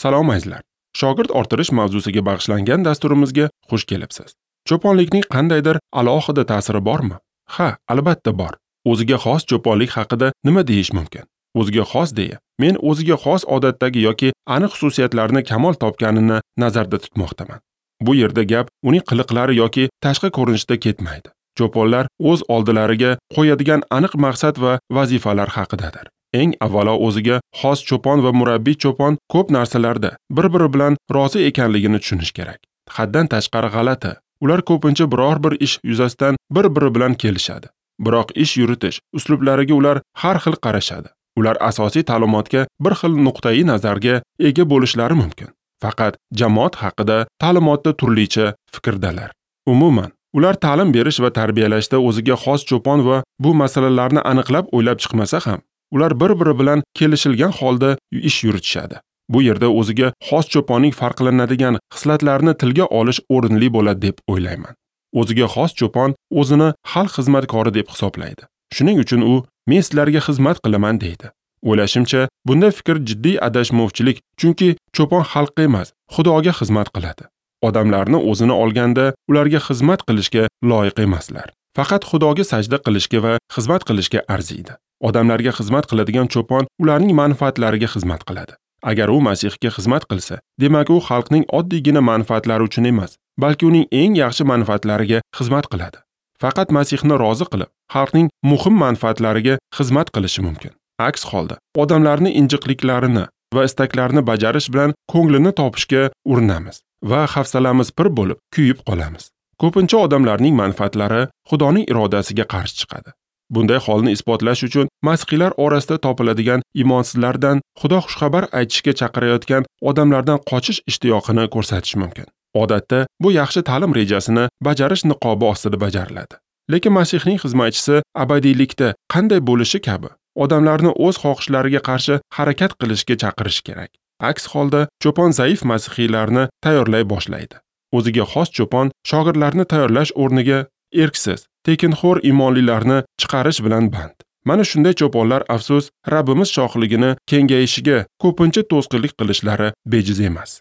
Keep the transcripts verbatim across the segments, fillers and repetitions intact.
Salom azizlar. Shogird orttirish mavzusiga bag'ishlangan dasturimizga xush kelibsiz. Cho'ponlikning qandaydir alohida ta'siri bormi? Ha, albatta bor. O'ziga xos cho'ponlik haqida nima deyish mumkin? O'ziga xos deya, men o'ziga xos odatdagi yoki aniq xususiyatlarni kamol topganini nazarda tutmoqdaman. Bu yerda gap uning qiliqlari yoki tashqi ko'rinishida ketmaydi. Cho'ponlar o'z oldilariga qo'yadigan aniq maqsad va vazifalar haqidadir. Eng avvalo o'ziga xos cho'pon va murabbiy cho'pon ko'p narsalarda bir-biri bilan rozi ekanligini tushunish kerak. Haddan tashqari g'alati. Ular ko'pincha biror bir ish yuzasidan bir-biri bilan kelishadi. Biroq ish yuritish uslublariga ular har xil qarashadi. Ular asosiy ta'limotga bir xil nuqtai nazarga ega bo'lishlari mumkin. Faqat jamoat haqida ta'limotda turlicha fikrdalar. Umuman, ular ta'lim berish va tarbiyalashda o'ziga xos cho'pon va bu masalalarni aniqlab o'ylab chiqmasa ham, ular bir-biri bilan kelishilgan holda ish yuritishadi. Bu yerda o'ziga xos cho'ponning farqlanadigan xislatlarini tilga olish o'rinli bo'ladi deb o'ylayman. O'ziga xos cho'pon o'zini xalq xizmatkori deb hisoblaydi. Shuning uchun u men sizlarga xizmat qilaman deydi. O'ylashimcha, bunda fikr jiddiy adashmovchilik, chunki cho'pon xalqqa emas, Xudoga xizmat qiladi. Odamlarni o'zini olganda ularga xizmat qilishga loyiq emaslar. Faqat Xudoga sajda qilishga va xizmat qilishga arziydi. Odamlarga xizmat qiladigan cho'pon ularning manfaatlariga xizmat qiladi. Agar u Masihga xizmat qilsa, demak u xalqning oddiygina manfaatlari uchun emas, balki uning eng yaxshi manfaatlariga xizmat qiladi. Faqat Masihni rozi qilib, xalqning muhim manfaatlariga xizmat qilishi mumkin. Aks holda, odamlarning injiqliklarini va istaklarini bajarish bilan ko'nglini topishga urinamiz va hafsalamiz pir bo'lib kuyib qolamiz. Ko'pincha odamlarning manfaatlari Xudoning irodasiga qarshi chiqadi. Bunday holni isbotlash uchun masihiylar orasida topiladigan imonsizlardan Xudo xushxabar aytishga chaqirayotgan odamlardan qochish ishtiyoqini ko'rsatish mumkin. Odatda bu yaxshi ta'lim rejasini bajarish niqobi ostida bajariladi. Lekin Masihning xizmatchisi abadiylikda qanday bo'lishi kabi odamlarni o'z xohishlariga qarshi harakat qilishga chaqirish kerak. Aks holda cho'pon zaif masihiylarni tayyorlay boshlaydi. O'ziga xos cho'pon shogirdlarni tayyorlash o'rniga erksiz, tekinxo'r imonlilarni chiqarish bilan band. Mana shunday cho'ponlar afsus, Rabbimiz shohligini kengayishiga ko'pincha to'sqinlik qilishlari bejiz emas.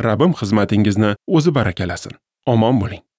Rabbim xizmatingizni o'zi barakalasin. Omon bo'ling.